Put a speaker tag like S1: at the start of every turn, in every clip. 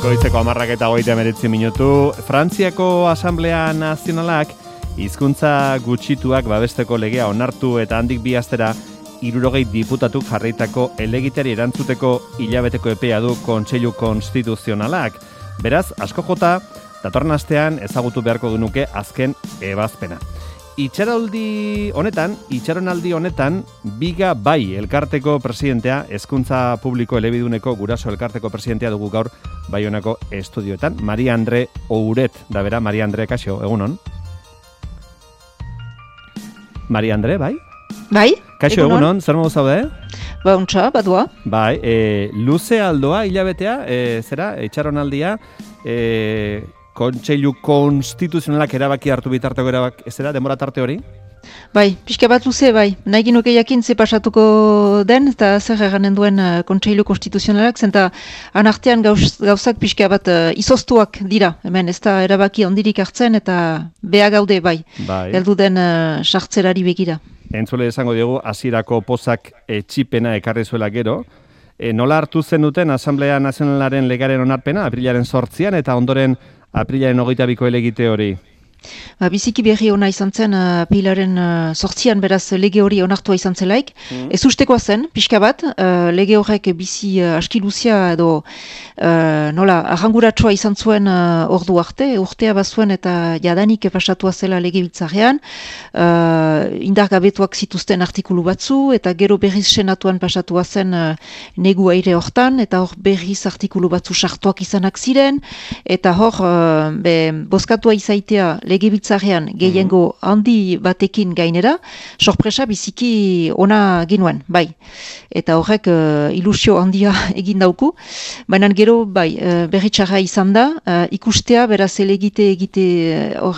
S1: Goizeko 10:39 Frantziako Asamblea Nazionalak hizkuntza gutxituak babesteko legea onartu eta handik bi astera 60 diputatuk jarritako helegiteari erantzuteko hilabeteko epea du Kontseilu Konstituzionalak. Beraz, asko jota, datorren astean ezagutu beharko genuke azken ebazpena. Itxaronaldi honetan, Biga Bai elkarteko presidentea, Hezkuntza Publiko Elebiduneko Guraso elkarteko presidentea dugu gaur Baionako estudioetan. Maria Andre Ouret, da bera, Maria Andre, kaixo, egunon? Maria Andre, bai?
S2: Bai,
S1: kaixo, egunon, zer modu zaude?
S2: Ba, untxa, badua.
S1: Bai, luze aldoa hilabetea, itxaronaldia, Kontseilu Konstituzionalak erabaki hartu bitarteko denbora tarte hori?
S2: Bai, pixka bat luze, bai. Nahi ginuke jakin ze pasatuko den, eta zer eganen duen Kontseilu Konstituzionalak, zenta anartean gauzak pixka bat izoztuak dira. Hemen ez da erabaki ondirik hartzen, eta beha gaude, bai. Heldu den sartzerari begira.
S1: Entzule esango diogu, hasierako pozak txipena ekarri zuela gero. Nola hartu zen duten Asamblea Nazionalaren legaren onarpena, aprilaren 8an, eta ondoren aprilaren 22ko helegite hori?
S2: Biziki berri ona izan zen aprilaren 8an beraz lege hori onartua izan zelaik. Ez ustekoa zen, pixka bat, lege horrek bizi aski luzia edo arranguratsua izan zuen ordu arte, urtea bazuen eta jadanik pasatua zela lege biltzarrean, indargabetuak zituzten artikulu batzu, eta gero berriz senatuan pasatua zen negu aire hortan, eta hor berriz artikulu batzu sartuak izanak ziren, eta hor bozkatua izaitea legebiltzarrean gehiengo handi batekin gainera, sorpresa biziki ona ginuen, bai. Eta horrek ilusio handia egin dauku, baina gero berritxarra izan da, ikustea beraz egiteko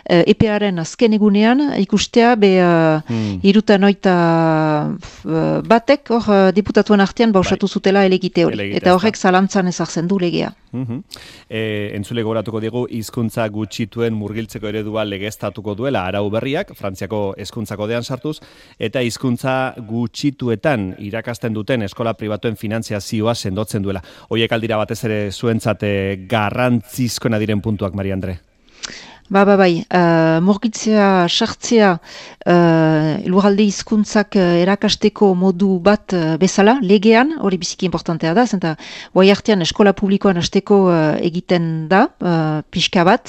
S2: EPA-aren azken egunean, ikustea 61 batek hor diputatuan artean bausatu zutela helegite hori, eta horrek zalantzan ezartzen du legea.
S1: Entzule gogoratuko digu, hizkuntza gutxituen murgiltzeko eredua legeztatuko duela arau berriak, Frantziako hezkuntza kodean sartuz, eta hizkuntza gutxituetan irakasten duten eskola pribatuen finantziazioa sendotzen duela. Horiek aldira batez ere zuentzat garrantzizkoena diren puntuak, Maria Andre?
S2: Bai, murgitzea, sartzea, lurralde hizkuntzak erakasteko modu bat bezala, legean, hori biziki importantea da, zenta guai artean eskola publikoan hasteko egiten da, pixka bat,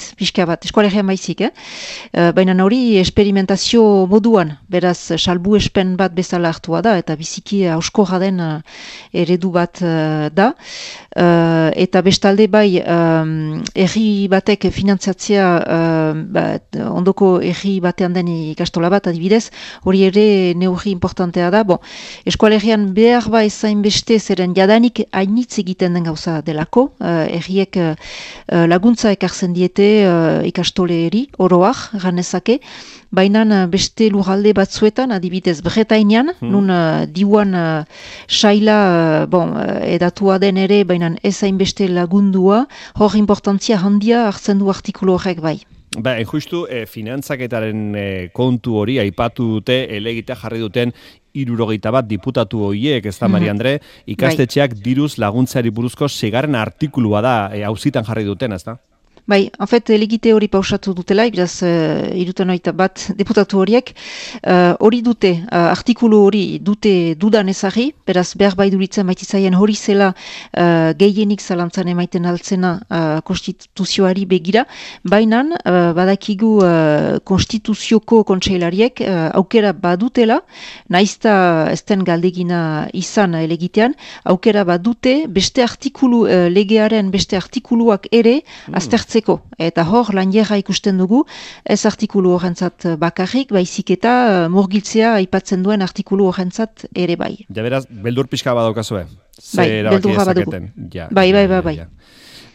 S2: eskolegian baizik, baina hori esperimentazio moduan, beraz, salbu espen bat bezala hartua da, eta biziki auskorra den eredu bat da, eta bestalde bai, herri batek finantzatzea ondoko erri batean den ikastola bat, adibidez, hori ere neurri importantea da. Eskualegian behar ezain beste zeren jadanik hainitz egiten den gauza delako, erriek laguntza ekartzen diete ikastoleri, oroak, ganezake, baina beste lurralde batzuetan, adibidez Bretainean, nun diuan saila edatua den ere, baina ezain beste lagundua, hor importantzia handia hartzen du artikulu horrek bai.
S1: Justu, finantzaketaren kontu hori aipatu dute, helegite jarri duten 61 diputatu horiek, ez da, Maria Andre, ikastetxeak diruz laguntzari buruzko 6. artikulua da, auzitan jarri duten, ez da?
S2: Bai, helegite hori pausatu dutela, beraz, 61 deputatu horiek, hori dute, artikulu hori dute dudan ezagri, beraz, behar duritzen maitizaien hori zela gehienik zalantzan emaiten altzena konstituzioari begira, baina badakigu konstituzioko kontseilariek aukera badutela, naizta ez den galdegina izan helegitean, aukera badute beste artikulu, legearen beste artikuluak ere aztertzen. Eta hor, lanierra ikusten dugu, ez artikulu horrentzat bakarrik, baizik eta murgiltzea aipatzen duen artikulu horrentzat ere bai.
S1: Ja beraz, beldur pixka badaukazue?
S2: Beldurra badugu. Bai.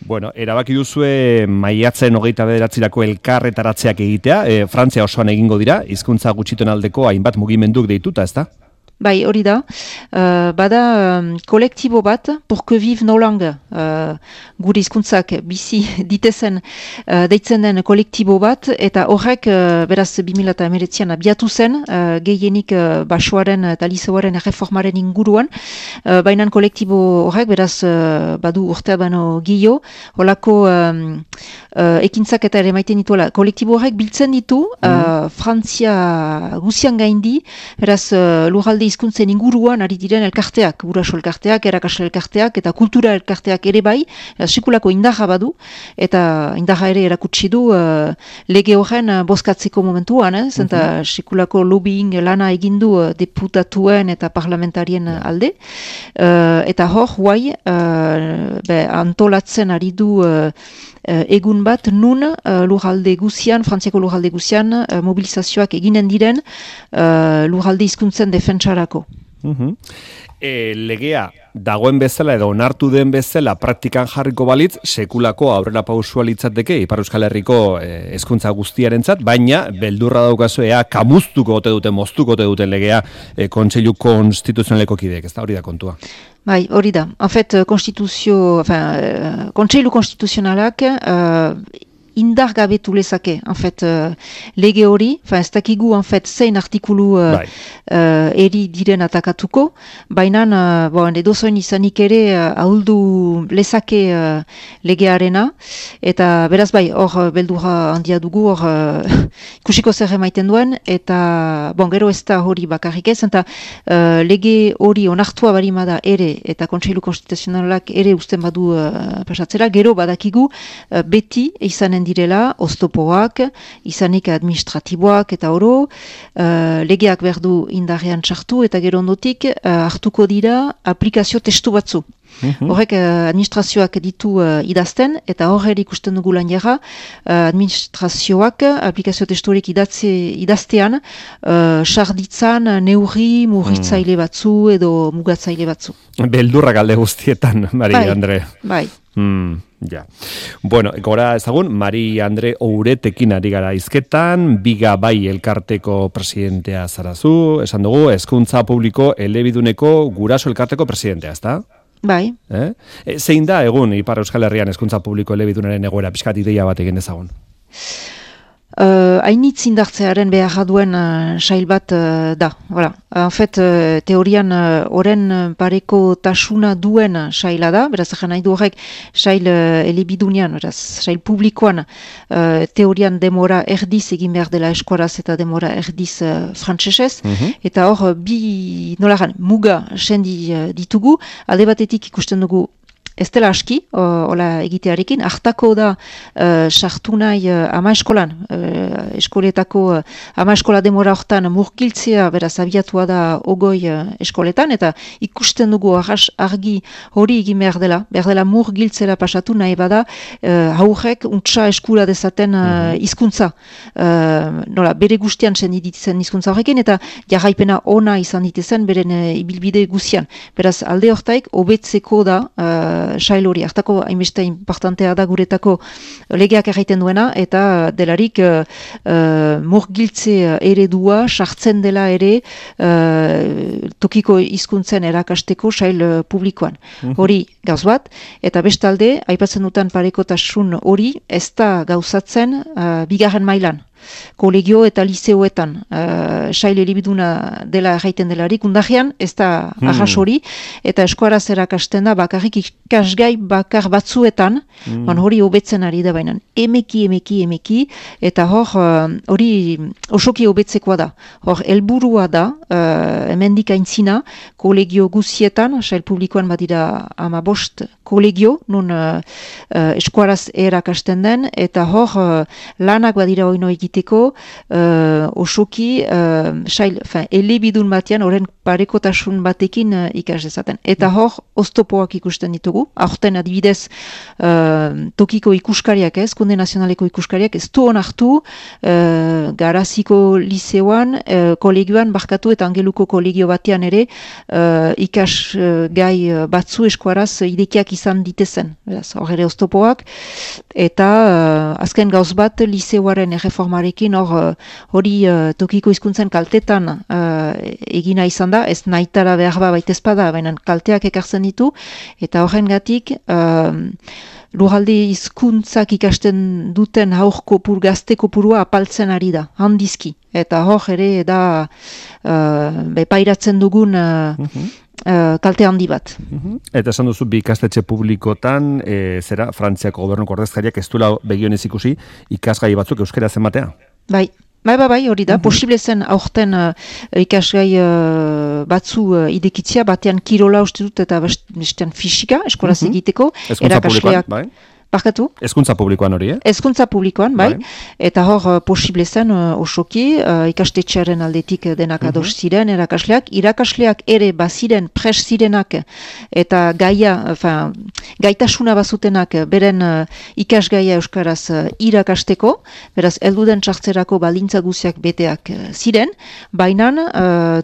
S1: Bueno, erabaki duzue maiatzen 29 elkarretaratzeak egitea, Frantzia osoan egingo dira, hizkuntza gutxituen aldeko hainbat mugimenduk deituta, ez da?
S2: Bai, hori da. Bada kolektibo bat, pour que vive nos langues, gure hizkuntzak bizi ditezen deitzen den kolektibo bat, eta horrek beraz 2019an abiatu zen, gehienik basoaren eta liseoaren erreformaren inguruan, baina kolektibo horrek beraz badu urtea baino gio, holako ekintzak eta ere maiten dituela. Kolektibo horrek biltzen ditu, Frantzia guzian gaindi, beraz lurralde hizkuntzen inguruan ari diren elkarteak, guraso elkarteak, erakasle elkarteak eta kultura elkarteak ere bai, sekulako indarra badu, eta indarra ere erakutsi du lege horren bozkatzeko momentuan, eta sekulako lobbying lana egindu deputatuen eta parlamentarien alde, eta hor, guai, antolatzen ari du egun bat nun lurralde guzian, Frantziako lurralde guzian, mobilizazioak eginen diren lurralde hizkuntzen defentsarako.
S1: Legea dagoen bezala edo onartu den bezala praktikan jarriko balitz, sekulako aurrera pausua litzateke Ipar Euskal Herriko hezkuntza guztiarentzat, baina beldurra daukazu ea kamuztuko ote duten, moztuko ote duten legea Kontseilu Konstituzionaleko kideek, ez da hori da kontua?
S2: Bai, hori da. En fait, Kontseilu Konstituzionalak indar gabetu lezake, en fait, lege hori, ez dakigu, en fait, zein artikulu eri diren atakatuko, baina, edozoen izanik ere ahuldu lezake legearena, eta beraz bai, hor beldurra handia dugu, hor ikusiko zer emaiten duen, eta, gero ez da hori bakarrik ez, eta lege hori onartua barimada ere, eta Kontseilu Konstituzionalak ere usten badu pasatzera, gero badakigu beti izanen direla, oztopoak, izanik administratiboak eta oro, legeak berdu indarrean txartu eta gero ondotik hartuko dira aplikazio testu batzu. Horrek administrazioak ditu idazten, eta horre ikusten dugu lan jarra, administrazioak aplikazio testurik idaztean, sarditzan neurri murritzaile batzu edo mugatzaile batzu.
S1: Beldurrak alde guztietan, Mari Andre.
S2: Bai.
S1: Ja. Bueno, gora ezagun, Mari Andre Ouretekin ari gara hizketan, Biga Bai elkarteko presidentea zarazu, esan dugu, hezkuntza publiko elebiduneko guraso elkarteko presidentea, ezta?
S2: Bai.
S1: Zein da egun Ipar Euskal Herrian hezkuntza publiko elebidunaren egoera, pixkat ideia bat egin dezagun?
S2: Hainitz indartzearen beharra duen sail bat da. Voilà. En fait, teorian oren pareko tasuna duen saila da, beraz egin nahi du horrek sail elebidunean, beraz sail publikoan teorian demora erdiz egin behar dela eskuaraz eta demora erdiz frantsesez, eta hor bi nolagan muga sendi ditugu, alde batetik ikusten dugu ez dela aski, hola egitearekin, hartako da sartu nahi ama eskolan, eskoletako ama eskola demora hortan murgiltzea, beraz abiatua da ogoi eskoletan, eta ikusten dugu argi hori egin behar dela murgiltzela pasatu nahi bada, haurrek untsa eskura dezaten hizkuntza, bere guztian senditzen hizkuntza horrekin, eta jarraipena ona izan ditezen beren ibilbide guzian. Beraz, alde hortaik, hobetzeko da sail hori, hartako hainbeste importantea da guretako legeak erraiten duena, eta delarik murgiltze eredua sartzen dela ere tokiko hizkuntzen erakasteko sail publikoan. Hori gauz bat, eta bestalde, aipatzen dutan parekotasun hori, ez da gauzatzen bigarren mailan. Kolegio eta liseoetan sail elebiduna dela erraiten delarik, undajean ez da arras hori, eta eskuaraz erakasten da bakarrik ikasgai bakar batzuetan, hori hobetzen ari da bainan. Emeki, eta hori osoki hobetzekoa da. Hor, helburua da, hemendik aintzina, kolegio guzietan, sail publikoan badira 15 kolegio, nun eskuaraz erakasten den, eta hor, lanak badira oino egiteko, osoki elebidun batean, horren parekotasun batekin ikas dezaten. Eta hor, oztopoak ikusten ditugu, aurten adibidez tokiko ikuskariak ez, Konde Nazionaleko ikuskariak ez du onartu Garaziko liseoan, kolegioan barkatu eta Angeluko kolegio batean ere ikas gai batzu eskuaraz idekiak izan ditezen. Hor ere oztopoak, eta azken gauz bat liseoaren erreformaren gobernuarekin hori tokiko hizkuntzen kaltetan egina izan da, ez nahitara behar baitezpada, baina kalteak ekartzen ditu, eta horrengatik lurralde hizkuntzak ikasten duten gazte kopurua apaltzen ari da, handizki. Eta hor ere da pairatzen dugun kalte handi bat.
S1: Eta esan duzu bi ikastetxe publikotan, Frantziako gobernuko ordezkariak ez duela begionez ikusi ikasgai batzuk euskaraz ematea?
S2: Bai, hori da. Posible zen aurten ikasgai batzu idekitzia, batean kirola uste dut eta bestean fisika, eskolaz egiteko.
S1: Hezkuntza publikoan, bai?
S2: Barkatu?
S1: Hezkuntza publikoan hori,
S2: Hezkuntza publikoan, bai. Eta hor posible zen osoki, ikastetxearen aldetik denak ados ziren, irakasleak ere baziren, pres zirenak, eta gaitasuna bazutenak beren ikasgaia euskaraz irakasteko, beraz, elduden txartzerako baldintza guziak beteak ziren, baina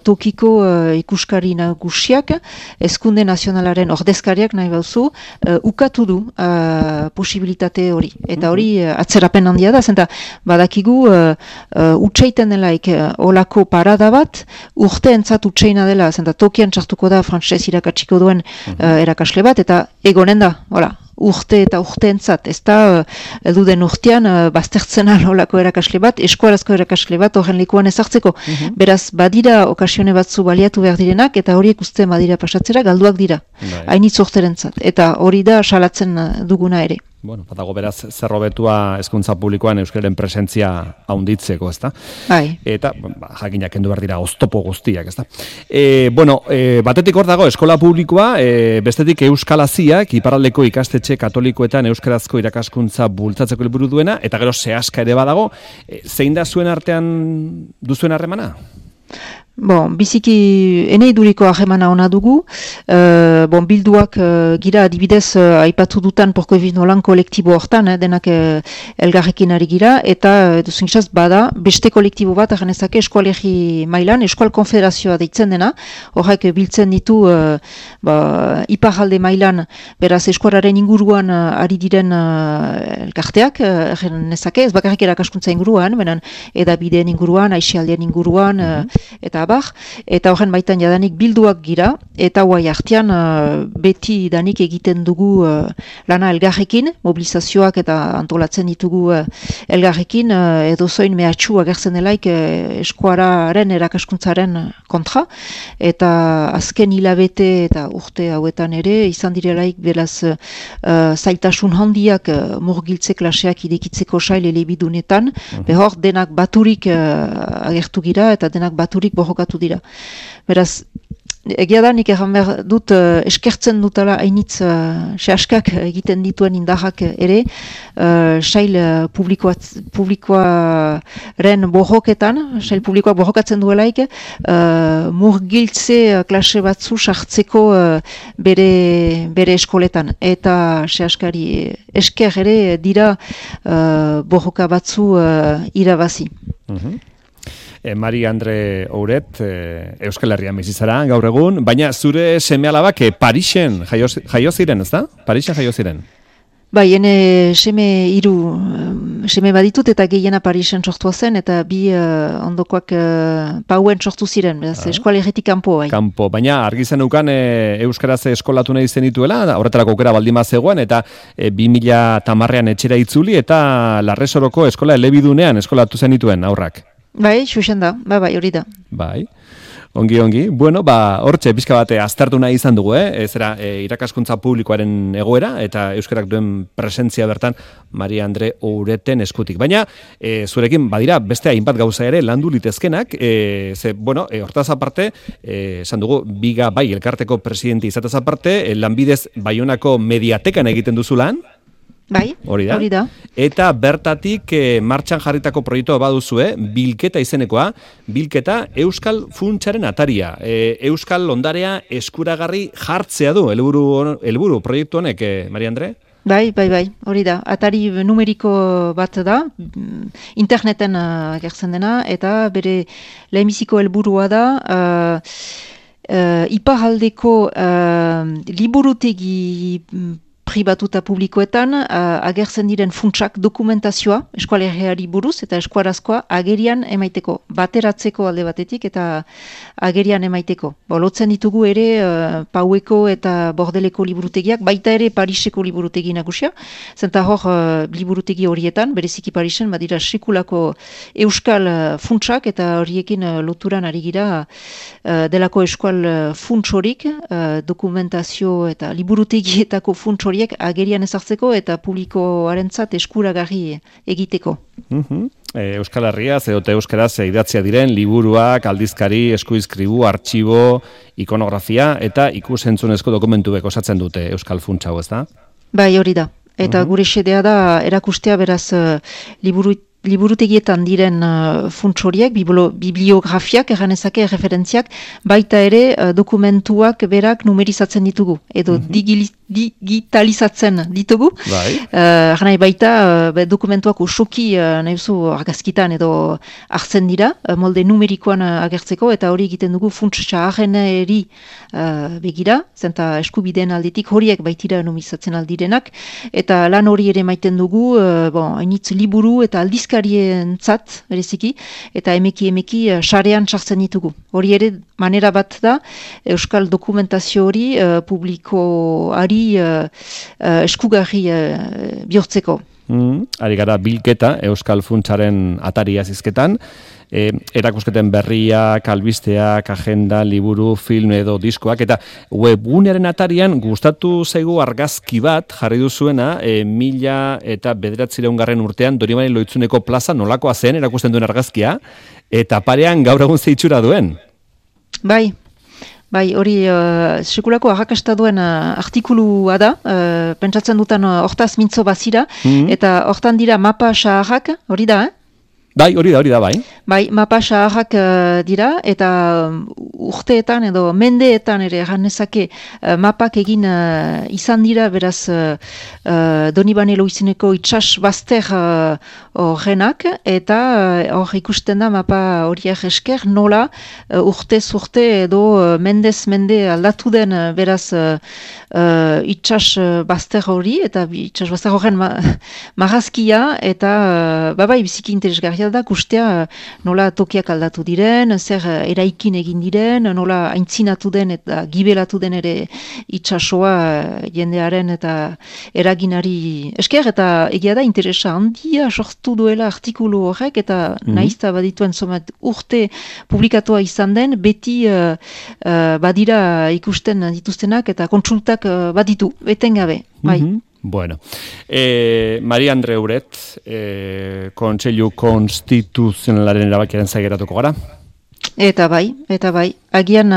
S2: tokiko ikuskari nagusiak, Hezkunde Nazionalaren ordezkariak nahi bauzu, ukatu du posibilitate hori. Eta hori atzerapen handia da, zenta badakigu utxeiten delaik olako parada bat, urteentzat utxeina dela, zenta tokian txartuko da frantsez irakatsiko duen erakasle bat, eta egonen da, urte eta urteentzat, ez da elduden urtean baztertzen olako erakasle bat, eskuarazko erakasle bat horren lekuan ezartzeko. Beraz, badira okasione batzu baliatu behar direnak, eta horiek uste badira pasatzera, galduak dira. Hainitz urterentzat. Eta hori da salatzen duguna ere.
S1: Bueno, badago beraz zerrobetua hezkuntza publikoan euskararen presentzia haunditzeko, ezta?
S2: Bai.
S1: Eta jakinak kendu behar dira oztopo guztiak, ezta? Batetik hor dago eskola publikoa, bestetik Euskalaziak, iparraldeko ikastetxe katolikoetan euskarazko irakaskuntza bultzatzeko helburu duena, eta gero zehaska ere badago, zein da zuen artean duzuen harremana?
S2: Biziki enei duriko ahemana ona dugu, bilduak gira adibidez aipatu dutan porko ebin holan kolektibo hortan, denak elgarrekin ari gira, eta duzengisaz bada, beste kolektibo bat, agenezake eskualegi mailan, eskual konfederazioa deitzen dena, horrek biltzen ditu iparralde mailan, beraz eskualaren inguruan ari diren elkarteak, agenezake, ez bakarrik erakaskuntza inguruan, benen edabideen inguruan, aixialdeen inguruan, eta eta horren baitan jadanik bilduak gira, eta guai artean beti danik egiten dugu lana elgarrekin, mobilizazioak eta antolatzen ditugu elgarrekin, edo zoin mehatxu agertzen delaik eskuararen erakaskuntzaren kontra, eta azken hilabete eta urte hauetan ere, izan direlaik beraz zailtasun handiak murgiltze klaseak idekitzeko sail elebidunetan, behor denak baturik agertu gira, eta denak baturik borrokatu dira. Beraz, egia da, nik erran behar dut eskertzen dutala hainitz sehaskak egiten dituen indarrak ere, sail publikoaren borroketan, sail publikoak borrokatzen duelaik, murgiltze klase batzu sartzeko bere eskoletan. Eta sehaskari esker ere dira borroka batzu irabazi.
S1: Mari Andre Ouret, Euskal Herrian bizizara gaur egun, baina zure seme-alabak Parisen jaio ziren, ez da? Parisen jaio ziren?
S2: Bai, ene seme baditut eta gehiena Parisen sortua zen, eta bi ondokoak Pauen sortu ziren, eskualegetik kanpo, bai.
S1: Kanpo, baina argi zen ukan Euskaraz eskolatu nahi zen dituela, horretarako aukera baldin bazegoen, eta 2010an etxera itzuli, eta Larresoroko eskola elebidunean eskolatu zen dituen aurrak.
S2: Bai, xuxen da, bai, hori da.
S1: Bai, ongi. Bueno, hortxe, pixka bate aztertu nahi izan dugu, zera irakaskuntza publikoaren egoera, eta euskarak duen presentzia bertan Maria Andre Oureten eskutik. Baina, zurekin, badira, beste hainbat gauza ere landu litezkenak, hortaz aparte, esan dugu, biga bai elkarteko presidente izatez aparte, lanbidez Baionako mediatekan egiten duzu lan,
S2: Bai, hori da.
S1: Eta bertatik martxan jarritako proiektua baduzu, bilketa izenekoa, bilketa Euskal Funtsaren ataria. Euskal ondarea eskuragarri jartzea du, helburu proiektu honek, Maria Andre?
S2: Bai, hori da. Atari numeriko bat da, interneten agertzen dena, eta bere lehenbiziko helburua da, iparraldeko liburutegi pribatu eta publikoetan agertzen diren funtsak dokumentazioa eskualerriari buruz eta eskuarazkoa agerian emaiteko, bateratzeko alde batetik eta agerian emaiteko. Lotzen ditugu ere Paueko eta Bordeleko liburutegiak, baita ere Pariseko liburutegi nagusia, zenta hor liburutegi horietan, bereziki Parisen, badira sekulako euskal funtsak eta horiekin loturan ari gira delako eskual funtsorik, dokumentazio eta liburutegietako funts horiek agerian ezartzeko eta publikoarentzat eskuragarri egiteko.
S1: Euskal Herriaz edo euskaraz idatzia diren liburuak, aldizkari, eskuizkribu, artxibo, ikonografia eta ikusentzunezko dokumentuek osatzen dute Euskal Funts hau, ezta?
S2: Bai, hori da. Eta gure xedea da erakustea beraz liburutegietan diren funts horiek, bibliografiak, erranezake, referentziak, baita ere dokumentuak berak numerizatzen ditugu, edo digitalizatzen ditugu. Bai. Baita dokumentuak osoki nahizu argazkitan edo hartzen dira, molde numerikoan agertzeko, eta hori egiten dugu funts txarreneri begira, zenta eskubideen aldetik horiek baitira numerizatzen aldirenak, eta lan hori ere maiten dugu, hainitz liburu eta aldizkarientzat, bereziki, eta emeki sarean sartzen ditugu. Hori ere manera bat da, euskal dokumentazio hori publikoari eskugarri bihurtzeko.
S1: Ari gara bilketa Euskal Funtsaren atari azizketan, erakusketen berriak, albisteak, agenda, liburu, film edo diskoak, eta webgunearen atarian gustatu zaigu argazki bat jarri duzuena, 1909 urtean Donibane Lohitzuneko plaza nolakoa zen erakusten duen argazkia, eta parean gaur egun zeitxura duen.
S2: Bai, hori sekulako arrakasta duen artikulua da, pentsatzen dutan hortaz mintzo bazira, eta hortan dira mapa saharrak, hori da,
S1: Bai, hori da, bai.
S2: Bai, mapa saharrak dira, eta urteetan edo mendeetan ere janezake mapak egin izan dira, beraz Donibane Lohizeneko itsas bazter horrenak, eta hor ikusten da mapa horiek esker nola urtez urte edo mendez mende aldatu den beraz itsas bazter hori, eta itsas bazter horren marrazkia, eta bai, biziki interesgarria da, kustea nola tokiak aldatu diren, zer eraikin egin diren, nola aintzinatu den eta gibelatu den ere itsasoa jendearen eta eraginari esker, eta egia da interesa handia sortu duela artikulu horrek, eta naizta badituen somat urte publikatua izan den, beti badira ikusten dituztenak eta kontsultak baditu, etengabe, bai.
S1: Bueno, Maria Andre Uret, Kontseilu Konstituzionalaren erabakiaren zaigeratuko gara?
S2: Eta bai, agian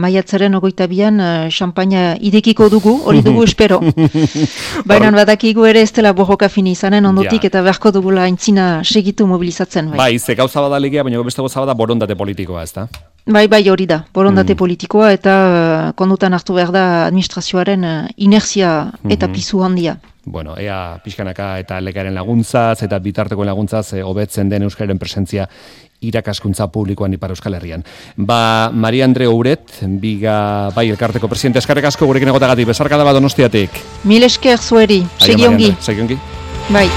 S2: maiatzaren 22an xampaina idekiko dugu, hori dugu espero. Baina badakigu ere ez dela borroka fini izanen ondotik, eta beharko dugula aintzina segitu mobilizatzen.
S1: Bai, ze gauza badalegea, baina beste gauza bada borondate politikoa, ez da?
S2: Bai, hori da, borondate politikoa, eta kondutan hartu behar da administrazioaren inertzia eta pisu handia.
S1: Bueno, ea pixkanaka eta lekaren laguntzaz, eta bitarteko laguntzaz, hobetzen den euskararen presentzia irakaskuntza publikoan Ipar Euskal Herrian. Maria Andre Uret, bai elkarteko presidente, eskarrek asko gurekin egotagatik, besarkada bat Donostiatik.
S2: Mil esker zueri, segi ongi.
S1: Segi ongi.
S2: Bai.